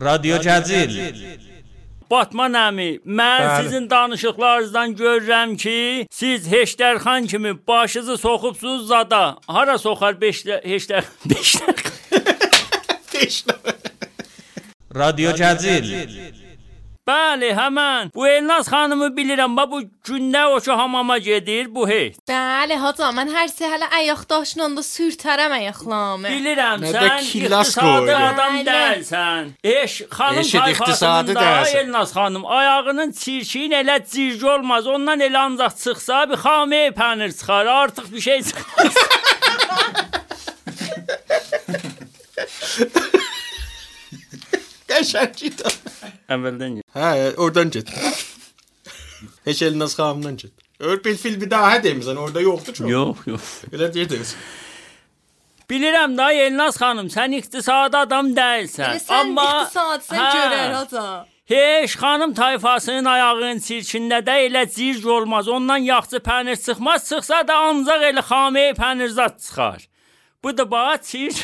رادیو جزیل. Batman əmi, mən sizin danışıqlarınızdan görürəm ki, siz Heşdərxan kimi başınızı soxubsunuz zada. Hara soxar Heşdər? رادیو جزیل. Bəli, həmən. Bu Elnaz xanımı bilirəm. Bu gündə o ki hamama gedir, bu heç. Bəli, hocam, mən hər səhər ayaq daşınanda sürtərəm ayaqlarımı. Bilirəm, sən iqtisadi adam deyilsən. Xanım tayfasında Elnaz xanım ayağının çirkin elə circi olmaz. Ondan elə ancaq çıxsa bir xamey pənir çıxar, artıq bir şey çıxmaz. Qəşəngdir. Əvvəldən get. Hə, oradan get. Heç Elnaz xanımdan get. Bil bir daha demisən, orada yoxdur çox. Yox. Elə deyirsən. Bilirəm da Elnaz xanım, sən iqtisadi adam deyilsən. Sən iqtisadsən görər hocam. Heç xanım tayfasının ayağının çirkində də elə circ olmaz. Ondan yaxşı pənir çıxmaz. Çıxsa da ancaq elə xamey pənir zat çıxar. Bu da bax çirc.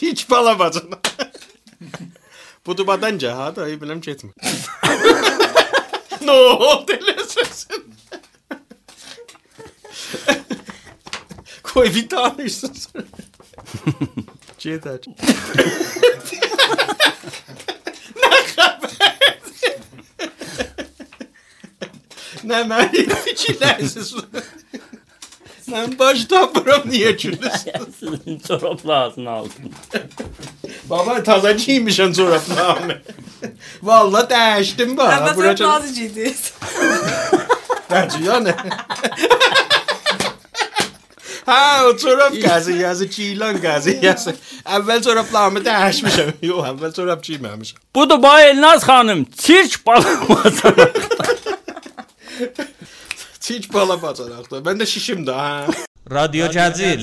Hiç bala bacana. Bu dubadanca ha da iyi biləm getmir. No, delesesin. Koy bir tanışsın sonra. Cedar. Ne haber? Ne məni fikirlərsiz? Mən başdan buram niyə gülürsün? Sizin çoraplarını aldım. Baba taza giymişəm çoraplarını. Vallahi dəyişdim bax. Amma çorapları giydiniz. Bence yani. Ha o çorap qəziyyəsi, giyilən qəziyyəsi. Əvvəl çoraplarımı dəyişmişəm. Yox, əvvəl çorap giyməmişəm. Bu da bax Elnaz xanım, çirk balamazlar. Çirk bala bacaraqdır. Mən də şişim də ha. رادیو جزیل.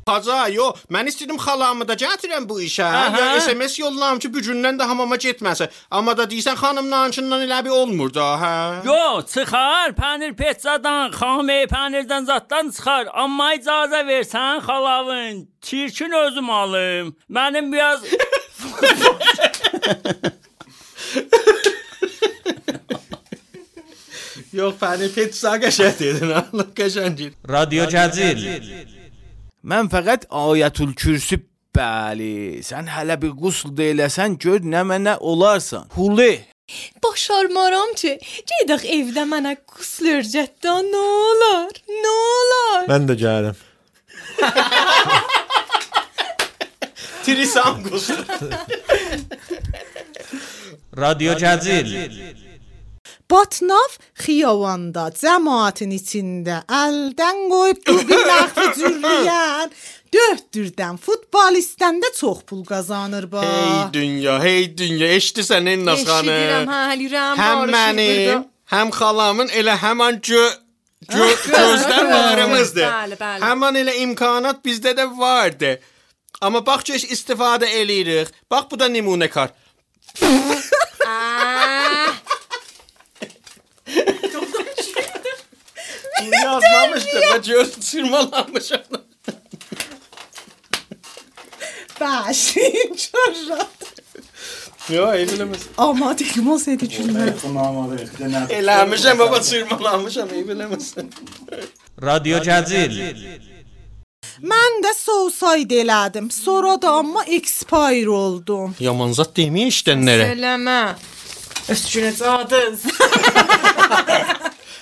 Haca, yox, mən istədim xalamı da gətirəm bu işə. Ya SMS yollam ki, bu gündən də hamama getməsə. Amma da deyirsən xanımlankından elə bir olmur da, hə? Yox, çıxar, pənir petsadan, xamey pənirdən zatdan çıxar. Amma icazə versən xalavın, çirkin özüm alım. Mənim biraz... Yox, pənir petsa qəşəng dedin, Allah qəşəngdir. رادیو جزیل. Mən fəqət Ayətül Kürsü, bəli, sən hələ bir qusl deyiləsən, gör nə mənə olarsan. Huli. Başarmaram ki, gedək evdə mənə qusl örgətdə, nə olar? Mən də gəlirəm. Trisam qusl. رادیو جزیل. Batnav xiyavanda, cəmaətin içində əldən qoyub bir məxfi cürriyən, dörddürdən futbolistdən də çox pul qazanır bax. Hey dünya, eşidirsən Elnaz xanım? Eşidirəm, həlirəm. Həm mənim, həm xalamın elə həman gözlər varımızdır. Bəli. Həman elə imkanat bizdə də vardı. Amma bax ki, istifadə eləyirik. Bax, bu da nümunə kar. Yazmamışdım, ben göz çırmalanmışım. Bəşin çorrat. Yo, evləməz. Ama deyim olsaydı gülmər. Eləmişəm, baba çırmalanmışam, evləməsin. رادیو جزیل. Mən də sousaydı elədim. Sonra da amma expire oldum. Yaman zat deməyə işlənlərə. Söyləmə. Üstünə cadız.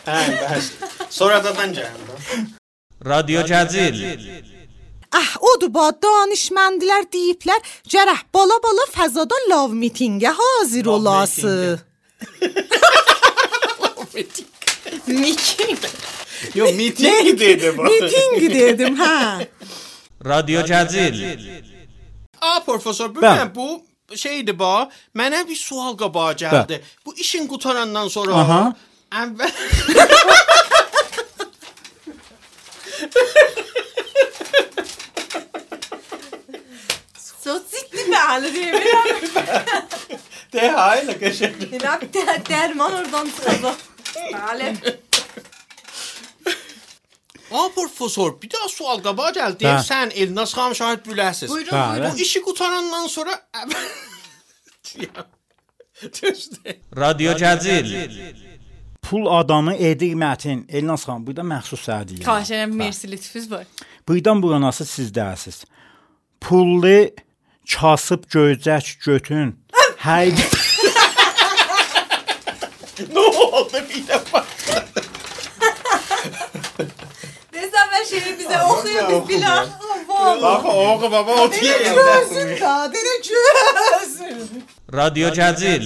Hə, bəs. Sonradan gəldim. رادیو جزیل. Odur ba, danışməndilər deyiblər, gərək bala fəzada love meetingə hazır olası. Meeting. Yo, meeting dedim. Meeting dedim, hə. رادیو جزیل. Profesör, bu şeydi ba, mənə bir sual qabağa gəldi. Bu işin qutarandan sonra əvvəl Çok ciddi bəli deyirəm. De hayla qəşəng. Dərman oradan çıxacaq. Bəli. profesör, bir daha sual qabağa gəldi. Deyim, sən Elnaz xanım şahid biləsiz. Buyurun. Bu işi qutarandan sonra رادیو جزیل Pul adamı edir mətin. Elnaz xanım, burada məxsus səhədiyyə. Xahiş edirəm, mersi lütfüz var. Buradan buranası sizdəsiz. Pullu kasıb göycək götün. Hər ne oldu bir dəfə? Desem ben şeyi bize okuyor biz bilen. Baba oğu baba oturuyor. Çözün da, dene çözün. رادیو جزیل